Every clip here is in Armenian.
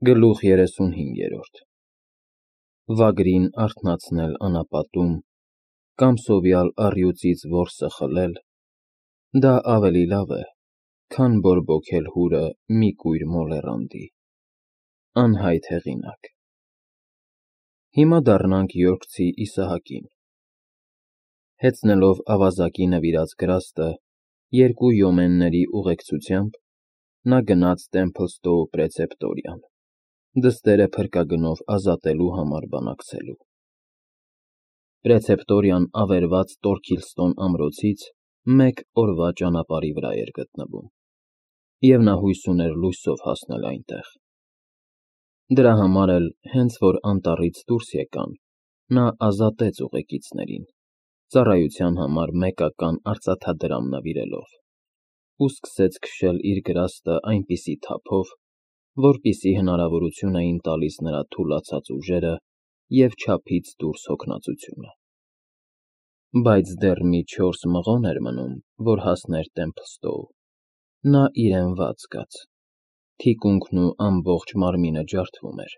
Գլուխ 35 Վագրին արթնացնել անապատում, կամ սովյալ առյուծից որսը խլել, դա ավելի լավ է, քան բորբոքել հուրը մի կույր մոլեռանդի։ Անհայտ հեղինակ։ Հիմա դառնանք Յորքցի Իսահակին։ Հեծնելով ավազակի նվիրած գրաստը երկու յոմենների ուղեկցությամբ, նա գնաց Տեմփլստոու պրեցեպտորիան, դստերը փրկագնով ազատելու համար բանակցելու։ Պրեցեպտորիան ավերված Տորքիլստոն ամրոցից մեկ օրվա ճանապարհի վրա էր գտնվում, և նա հույս ուներ լույսով հասնել այնտեղ։ Դրա համար էլ, հենց որ անտառից դուրս եկան, նա ազատեց ուղեկիցներին, ծառայության համար մեկական արծաթադրամ նվիրելով, ու սկսեց քշել իր գրաստը այնպիսի թափով, որպիսի հնարավորություն էին տալիս նրա թուլացած ուժերը և չափից դուրս հոգնածությունը։ Բայց դեռ մի 4 մղոն էր մնում, որ հասներ Տեմփլստոու։ Նա իրեն վատ զգաց, թիկունքն ու ամբողջ մարմինը ջարդվում էր,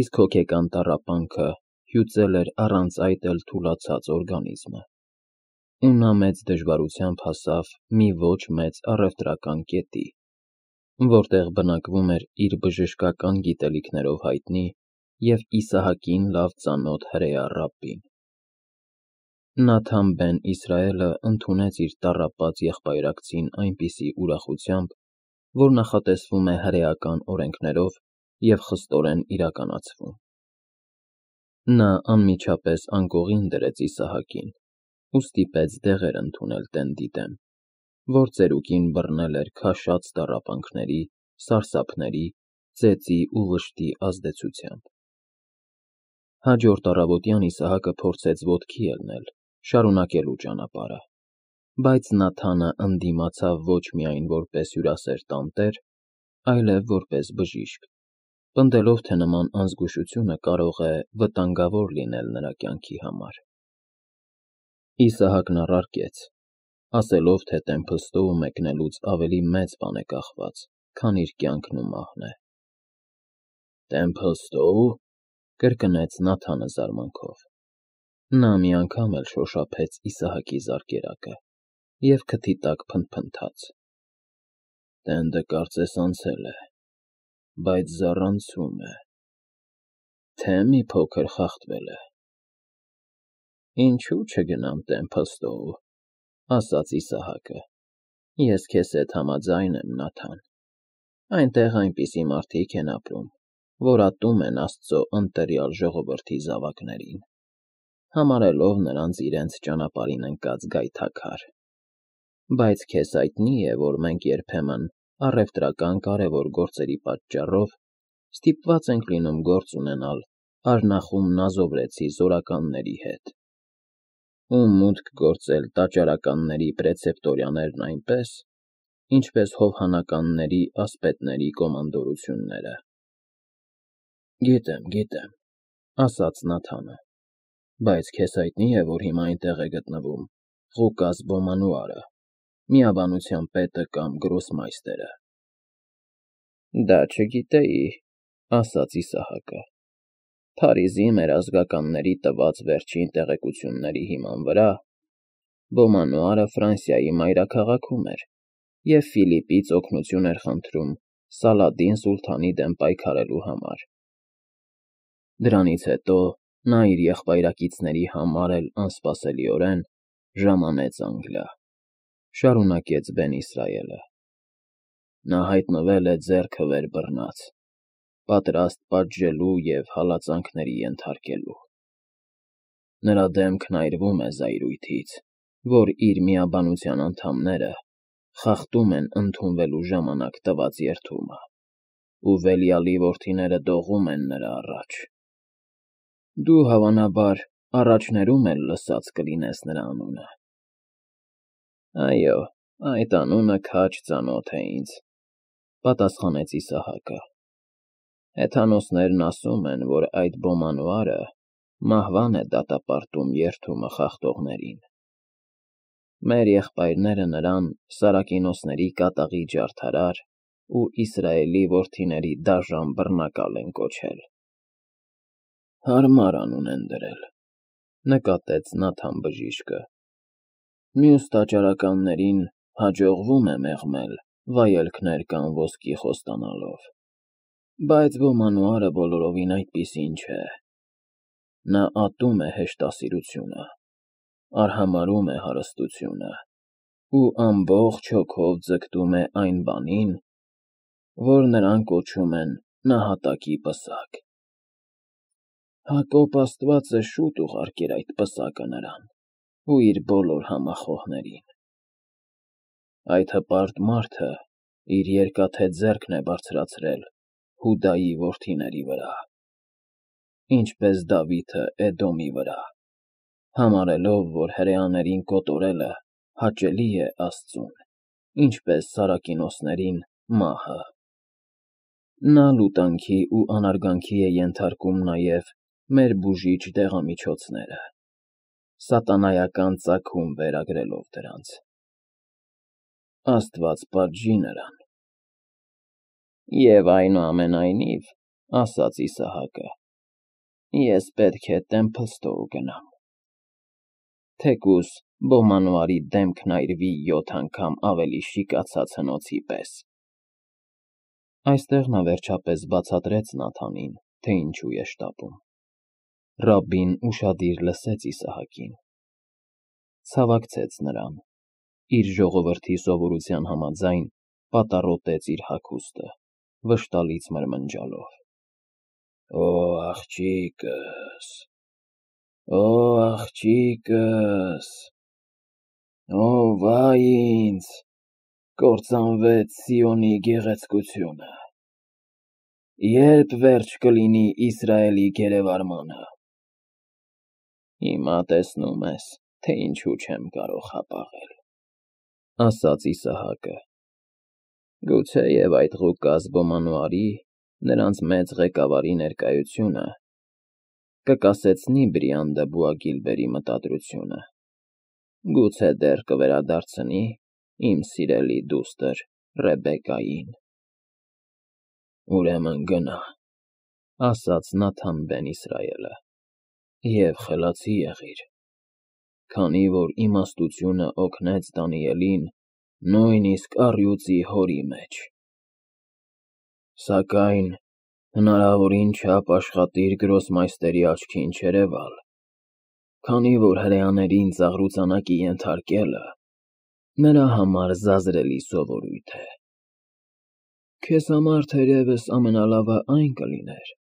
իսկ հոգեկան տառապանքը հյուծել էր առանց այդ էլ թուլացած օրգանիզմը, ու նա մեծ դժվարությամբ հասավ մի ոչ մեծ առևտրական կետի, որտեղ բնակվում էր իր բժշկական գիտելիքներով հայտնի և Իսահակին լավ ծանոթ հրեա ռաբբին։ Նաթան բեն Իսրայելը ընդունեց իր տառապած եղբայրակցին այնպիսի ուրախությամբ, որ նախատեսվում է հրեական օրենքներով և խստորեն իրականացվում։ Նա անմիջապես անկողին դրեց Իսահակին ու ստիպեց դեղեր ընդունել տենդի դեմ, որ ծերուկին բռնել էր քաշած տառապանքների, սարսափների, ծեծի ու վշտի ազդեցությամբ։ Հաջորդ առավոտյան Իսահակը փորձեց ոտքի ելնել, շարունակելու ճանապարհը, բայց Նաթանը ընդդիմացավ ոչ միայն որպես հյուրասեր տանտեր, այլև որպես բժիշկ, պնդելով, թե նման անզգուշությունը կարող է վտանգավոր լինել նրա կյանքի համար։ Իսահակն առարկեց, ասելով, թե Տեմփլստոու մեկնելուց ավելի մեծ բան է կախված, քան իր կյանքն ու մահն է։ Տեմփլստոու… կրկնեց Նաթանը զարմանքով։ Նա մի անգամ էլ շոշափեց Իսահակի զարկերակը և քթի տակ փնթփնթաց. Տենդը կարծես անցել է, բայց զառանցում է, թե մի փոքր խախտվել է։ Ինչու չգնամ Տեմփլստոու, ասաց Իսահակը, ես քեզ հետ համաձայն եմ, Նաթան, այնտեղ այնպիսի մարդիկ են ապրում, որ ատում են Աստծո ընտելյալ ժողովրդի զավակներին, համարելով նրանց իրենց ճանապարհին ընկած գայթակղար։ Բայց քեզ հայտնի է, որ մենք երբեմն առևտրական կարևոր գործերի պատճառով ստիպված ենք լինում գործ ունենալ արնախում նազովրեցի զորականների հետ, ու մուտք գործել տաճարականների պրեցեպտորիաներն այնպես, ինչպես հովհանականների ասպետների կոմանդորությունները։ Գիտեմ, ասաց Նաթանը, բայց քեզ հայտնի է, որ հիմա այնտեղ է գտնվում Ղուկաս Բոմանուարը, միաբանության պետը կամ գրոսմայստերը։ Դա չգիտեի, ասաց Իսահակը։ Փարիզի մեր ազգականների տված վերջին տեղեկությունների հիման վրա Բոմանուարը Ֆրանսիայի մայրաքաղաքում էր և Ֆիլիպից օգնություն էր խնդրում Սալադին սուլթանի դեմ պայքարելու համար։ Դրանից հետո նա իր եղբայրակիցների համար էլ անսպասելիորեն ժամանեց Անգլիա, շարունակեց բեն Իսրայելը։ Նա հայտնվել է ձեռքը վեր բռնած, պատրաստ պատժելու և հալածանքների ենթարկելու։ Նրա դեմքն այրվում է զայրույթից, որ իր միաբանության անդամները խախտում են ընդունվելու ժամանակ տված երդումը, ու Վելիալի որդիները դողում են նրա առաջ։ Դու, հավանաբար, առաջներում էլ լսած կլինես նրա անունը։ Այո, այդ անունը քաջ ծանոթ է ինձ, պատասխանեց Իսահակը։ Հեթանոսներն ասում են, որ այդ Բոմանուարը մահվան է դատապարտում երդումը խախտողներին։ Մեր եղբայրները նրան Սարակինոսների կատաղի ջարդարար ու Իսրայելի որդիների դաժան բռնակալ են կոչել։ Հարմար անուն են դրել, նկատեց Նաթան բժիշկը։ Մյուս տաճարականներին հաջողվում է մեղմել վայելքներ կամ ոսկի խոստանալով, բայց ոմանուարը բոլորովին այդպիսին չէ։ Նա ատում է հեշտասիրությունը, արհամարհում է հարստությունը ու ամբողջ հոգով ձգտում է այն բանին, որ նրանք կոչում են նահատակի պսակ։ Հակոբ Աստվածը շուտ ուղարկեր այդ պսակը նրան ու իր բոլոր համախոհներին։ Այդ հպարտ մարդը իր երկաթե ձեռքն է բարձրացրել Հուդայի որդիների վրա, ինչպես Դավիթը Էդոմի վրա, համարելով, որ հրեաներին կոտորելը հաճելի է Աստծուն, ինչպես սարակինոսներին մահը։ Նա լուտանքի ու անարգանքի է ենթարկում նաև մեր բուժիչ դեղամիջոցները, սատանայական ծագում վերագրելով դրանց։ Աստված պատժի նրան։ Եվ այնուամենայնիվ, ասաց Իսահակը, ես պետք է Տեմփլստոու գնամ, թեկուզ Բոմանոարի դեմքն այրվի 7 անգամ ավելի շիկացած հնոցի պես։ Այստեղ նա վերջապես բացատրեց Նաթանին, թե ինչու է շտապում։ Ռաբբին ուշադիր լսեց Իսահակին, ցավակցեց նրան, իր ժողովրդի սովորության համաձայն պատառոտեց իր հագուստը, վշտալից մրմնջալով. Օ, աղջիկս, օ, աղջիկս, օ, վայ ինձ, կործանվեց Սիոնի գեղեցկությունը, երբ վերջ կլինի Իսրայելի գերեվարմանը։ Հիմա տեսնում ես, թե ինչու չեմ կարող հապաղել, ասաց Իսահակը։ Գուցեև այդ Ղուկաս Բոմանոարի, նրանց մեծ ղեկավարի ներկայությունը կկասեցնի Բրիանդը Բուագիլբերի մտադրությունը, գուցե դեռ կվերադարձնի իմ սիրելի դուստր Ռեբեկային։ Ուրեմն գնա, ասաց Նաթան բեն Իսրայելը, և խելացի եղիր, քանի որ իմաստությունը օգնեց Դանիելին նույնիսկ առյուծի հորի մեջ։ Սակայն հնարավորին չափ աշխատիր գրոսմայստերի աչքին չերևալ, քանի որ հրեաներին ծաղրուծանակի ենթարկելը նրա համար զազրելի սովորույթ է։ Քեզ համար թերևս ամենալավը այն կլիներ,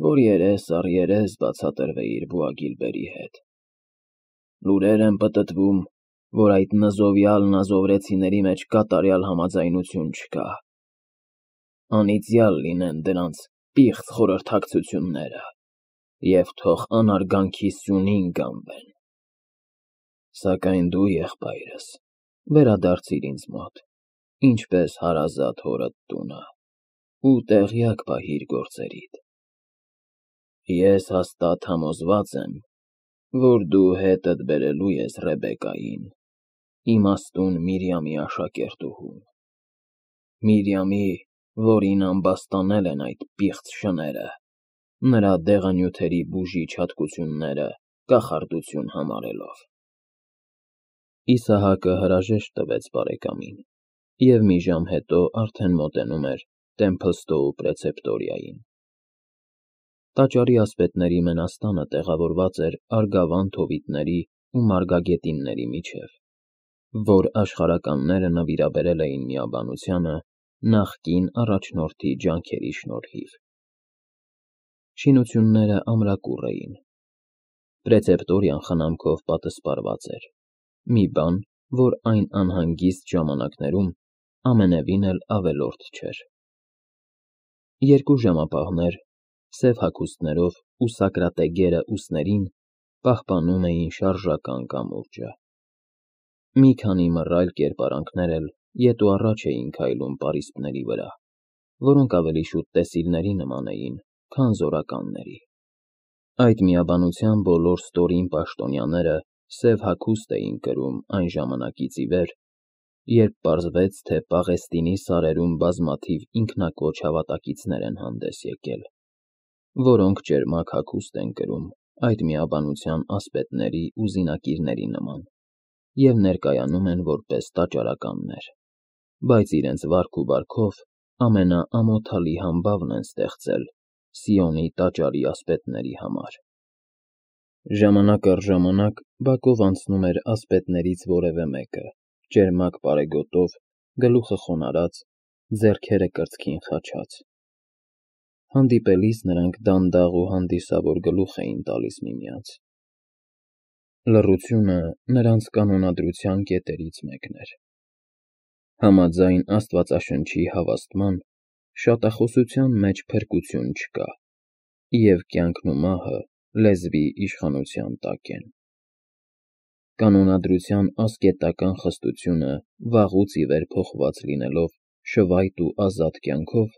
որ երես առ երես բացատրվեիր Բուագիլբերի հետ։ Լուրեր են պտտվում, որ այդ նզովյալ նազովրեցիների մեջ կատարյալ համաձայնություն չկա։ Անիծյալ լինեն դրանց պիղծ խորհրդակցությունները, և թող անարգանքի սյունին գանվեն։ Սակայն դու, եղբայրս, վերադարձիր ինձ մոտ, ինչպես հարազատ հորդ տունը, ու տեղյակ պահիր գործերիդ։ Ես հաստատ համոզված եմ, որ դու հետդ բերելու ես Ռեբեկային, իմաստուն Միրիամի աշակերտուհուն, Միրիամի, որին ամբաստանել են այդ պիղծ շները, նրա դեղանյութերի բուժիչ հատկությունները կախարդություն համարելով։ Իսահակը հրաժեշտ տվեց բարեկամին, և մի ժամ հետո արդեն մոտենում էր Տեմփլստոու պրեցեպտորիային։ Տաճարի ասպետների մենաստանը տեղավորված էր Արգավանդ հովիտների ու մարգագետինների միջև, որ աշխարհականները նվիրաբերել էին միաբանությանը նախկին առաջնորդի ջանքերի շնորհիվ։ Շինությունները ամրակուռ էին։ Պրեցեպտորիան խնամքով պատսպարված էր, մի բան, որ այն անհանգիստ ժամանակներում ամենևին էլ ավելորդ չէր։ Երկու ժամապահներ, սև հագուստներով ու սակրատեգերը ուսներին, պահպանում էին շարժական կամուրջը։ Մի քանի մռայլ կերպարանքներ էլ ետ ու առաջ էին քայլում պարիսպների վրա, որոնք ավելի շուտ տեսիլների նման էին, քան զորականների։ Այդ միաբանության բոլոր ստորին պաշտոնյաները սև հագուստ էին կրում այն ժամանակից ի վեր, երբ պարզվեց, թե Պաղեստինի սարերում բազմաթիվ ինքնակոչ հավատակիցներ են հանդես եկել, որոնք ճերմակ հագուստ են կրում այդ միաբանության ասպետների ու զինակիրների նման և ներկայանում են որպես տաճարականներ, բայց իրենց վարք ու բարքով ամենաամոթալի համբավն են ստեղծել Սիոնի տաճարի ասպետների համար։ Ժամանակ առ ժամանակ բակով անցնում էր ասպետներից որևէ մեկը, ճերմակ պարեգոտով, գլուխը խոնարհած, ձեռքերը կրծքին խաչած։ Հանդիպելիս նրանք դանդաղ ու հանդիսավոր գլուխ էին տալիս միմյանց։ Լռությունը նրանց կանոնադրության կետերից մեկն էր։ Համաձայն Աստվածաշնչի հավաստման, շատախոսության մեջ փրկություն չկա, և կյանքն ու մահը լեզվի իշխանության տակ են։ Կանոնադրության ասկետական խստությունը վաղուց ի վեր փոխված լինելով շվայտ ու ազատ կյանքով,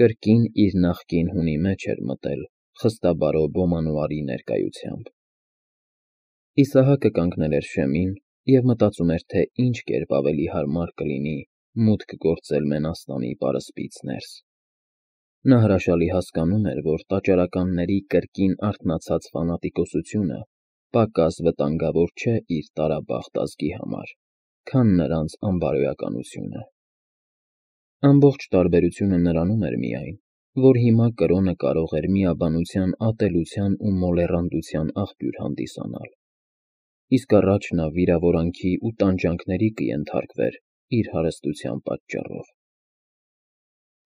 կրկին իր նախկին հունի մեջ էր մտել խստաբարո Բոմանոարի ներկայությամբ։ Իսահակը կանգնել էր շեմին և մտածում էր, թե ինչ կերպ ավելի հարմար կլինի մուտք գործել Մենաստանի պարսպից ներս։ Նա հրաշալի հասկանում էր, որ տաճարականների կրկին արթնացած ֆանատիկոսությունը պակաս վտանգավոր չէ իր տարաբախտ ազգի համար, քան նրանց անբարոյականությունը։ Ամբողջ տարբերությունը նրանում էր միայն, որ հիմա կրոնը կարող էր միաբանության ատելության ու մոլեռանդության աղբյուր հանդիսանալ, իսկ առաջ նա վիրավորանքի ու տանջանքների կենթարկվեր իր հարստության պատճառով։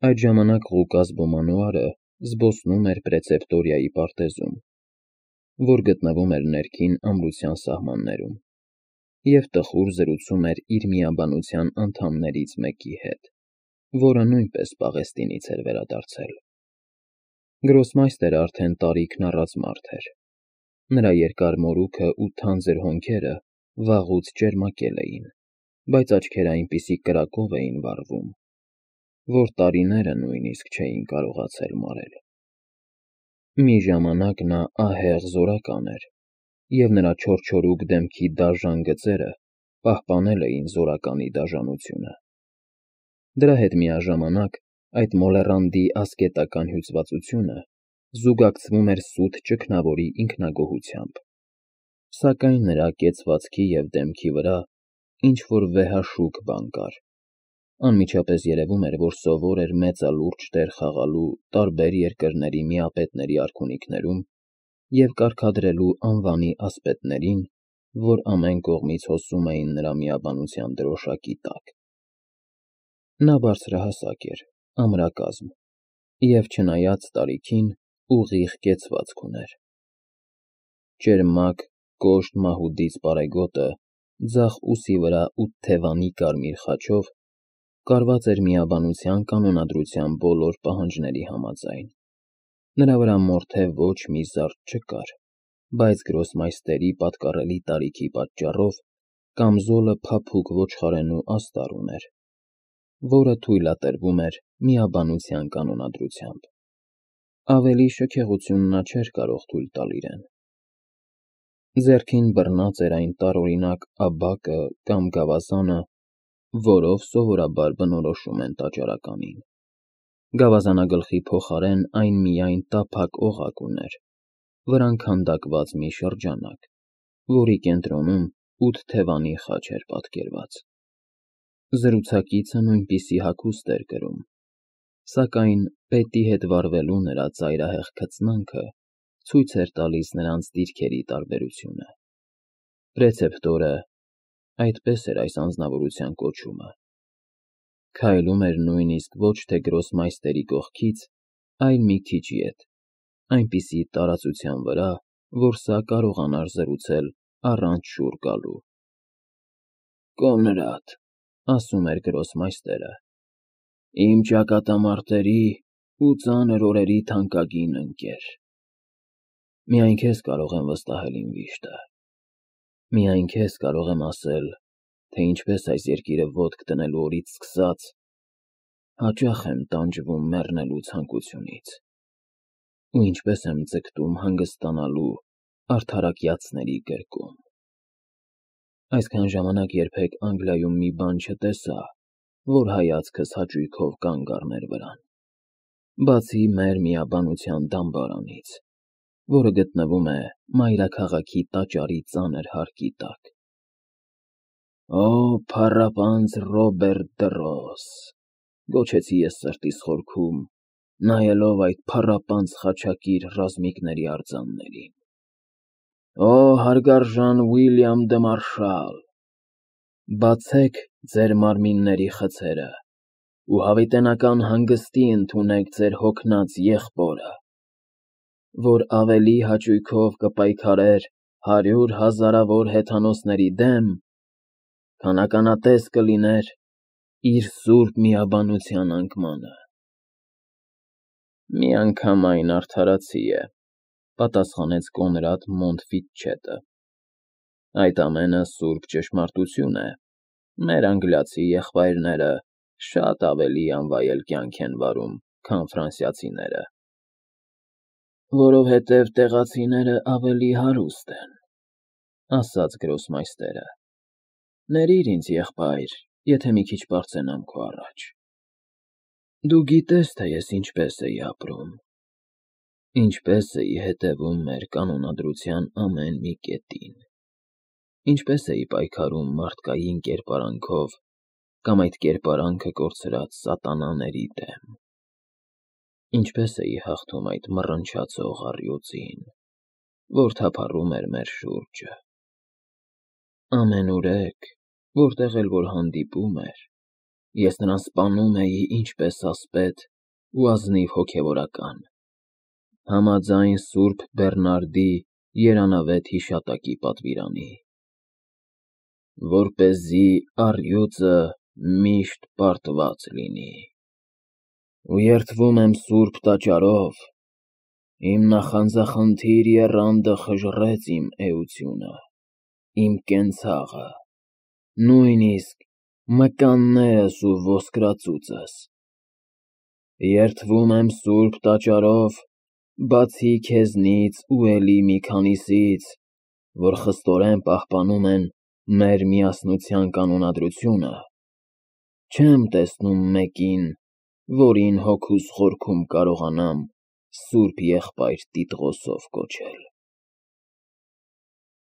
Այդ ժամանակ Ղուկաս Բոմանոարը զբոսնում էր Պրեցեպտորիայի պարտեզում, որ գտնվում էր ներքին ամրության սահմաններում, և տխուր զրուցում էր իր միաբանության անդամներից մեկի հետ, որը նույնպես Պաղեստինից էր վերադարձել։ Գրոսմայստերը արդեն տարիքն առած մարդ էր։ Նրա երկար մորուքը ու թանձր հոնքերը վաղուց ճերմակել էին, բայց աչքերը այնպիսի կրակով էին վառվում, որ տարիները նույնիսկ չէին կարողացել մարել։ Մի ժամանակ նա ահեղ զորական էր, և նրա չորչորուկ դեմքի դաժան գծերը պահպանել էին զորականի դաժանությունը։ Դրա հետ միաժամանակ այդ մոլեռանդի ասկետական հյուծվածությունը զուգակցվում էր սուտ ճգնավորի ինքնագոհությամբ, սակայն նրա կեցվածքի և դեմքի վրա ինչ-որ վեհաշուք բան կար։ Անմիջապես երևում էր, որ սովոր էր մեծալուրջ տեղ խաղալու տարբեր երկրների միապետների արքունիքներում և կարգադրելու անվանի ասպետներին, որ ամեն կողմից հոսում էին նրա միաբանության դրոշակի տակ։ Նա բարձրահասակ էր, ամրակազմ, և չնայած տարիքին, ուղիղ կեցվածք ուներ։ Ճերմակ, կոշտ մահուդից պարեգոտը ձախ ուսի վրա ութթևանի կարմիր խաչով կարված էր միաբանության կանոնադրության բոլոր պահանջների համաձայն։ Նրա վրա մորթե ոչ մի զարդ չկար, բայց Գրոսմայստերի պատկառելի տարիքի պատճառով կամզոլը փափուկ ոչխարենու աստար ուներ, որը թույլատրվում էր միաբանության կանոնադրությամբ։ Ավելի շքեղություն նա չէր կարող թույլ տալ իրեն։ Ձեռքին բռնած էր այն տարօրինակ աբակը կամ գավազանը, որով սովորաբար բնորոշում են տաճարականին։ Գավազանագլխի փոխարեն այն միայն տափակ օղակ ուներ, վրան քանդակված մի շրջանակ, որի կենտրոնում ութթևանի խաչ էր պատկերված։ Զրուցակիցը նույնպիսի հագուստ էր կրում, սակայն պետի հետ վարվելու նրա ծայրահեղ քծնանքը ցույց էր տալիս նրանց դիրքերի տարբերությունը։ Պրեցեպտորը (այդպես էր այս անձնավորության կոչումը) քայլում էր նույնիսկ ոչ թե Գրոսմայստերի կողքից, այլ մի քիչ ետ, այնպիսի տարածության վրա, որ սա կարողանար զրուցել առանց շուռ գալու։ «Կոնրադ», ասում էր Գրոսմայստերը, «իմ ճակատամարտերի ու ծանր օրերի թանկագին ընկեր, միայն քեզ կարող եմ վստահել իմ վիշտը, միայն քեզ կարող եմ ասել, թե ինչպես այս երկիրը ոտք դնելու օրից սկսած հաճախ եմ տանջվում մեռնելու ցանկությունից, ու ինչպես եմ ձգտում հանգստանալու արդարակյացների գրկում։ Այսքան ժամանակ երբեք Անգլիայում մի բան չտեսա, որ հայացքս հաճույքով կանգ առներ վրան, բացի մեր միաբանության դամբարանից, որը գտնվում է մայրաքաղաքի տաճարի ծանր հարկի տակ։ «Օ, փառապանծ Ռոբերտ դռոս», գոչեցի ես սրտիս խորքում, նայելով այդ փառապանծ խաչակիր ռազմիկների արձաններին։ «Օ, հարգարժան Ուիլյամ դը Մարշալ, բացեք ձեր մարմինների խցերը ու հավիտենական հանգստի ընդունեք ձեր հոգնած եղբորը, որ ավելի հաճույքով կպայքարեր 100 հազարավոր հեթանոսների դեմ, քան ականատես կլիներ իր սուրբ միաբանության անկմանը»։ «Միանգամայն արդարացի է», պատասխանեց Կոնրադ Մոնտֆիտչետը։ «Այդ ամենը սուրբ ճշմարտություն է, մեր անգլիացի եղբայրները շատ ավելի անվայել կյանք են վարում, քան ֆրանսիացիները»։ «Որովհետև տեղացիները ավելի հարուստ են», ասաց գրոսմայստերը։ «Ներիր ինձ, եղբայր, եթե մի քիչ բարձրանամ քո առաջ։ Դու գիտես, թե ես ինչպես էի ապրում, ինչպես էի հետևում մեր կանոնադրության ամեն մի կետին, ինչպես էի պայքարում մարդկային կերպարանքով կամ այդ կերպարանքը կորցրած սատանաների դեմ, ինչպես էի հաղթում այդ մռնչացող առյուծին, որ թափառում էր մեր շուրջը։ Ամենուրեք, որտեղ էլ որ հանդիպում էր, ես նրան սպանում էի ինչպես ասպետ ու ազնիվ հոգևորական, համաձայն Սուրբ Բեռնարդի երանավետ հիշատակի պատվիրանի, որպեսզի առյուծը միշտ պարտված լինի։ Ու երդվում եմ Սուրբ Տաճարով, իմ նախանձախնդիր եռանդը խժռեց իմ էությունը, իմ կենցաղը, նույնիսկ մկաններս ու ոսկրածուծս։ Երդվում եմ Սուրբ Տաճարով, բացի քեզնից ու էլի մի քանիսից, որ խստորեն պահպանում են մեր միասնության կանոնադրությունը, չեմ տեսնում մեկին, որին հոգուս խորքում կարողանամ Սուրբ Եղբայր Տիտղոսով կոչել»։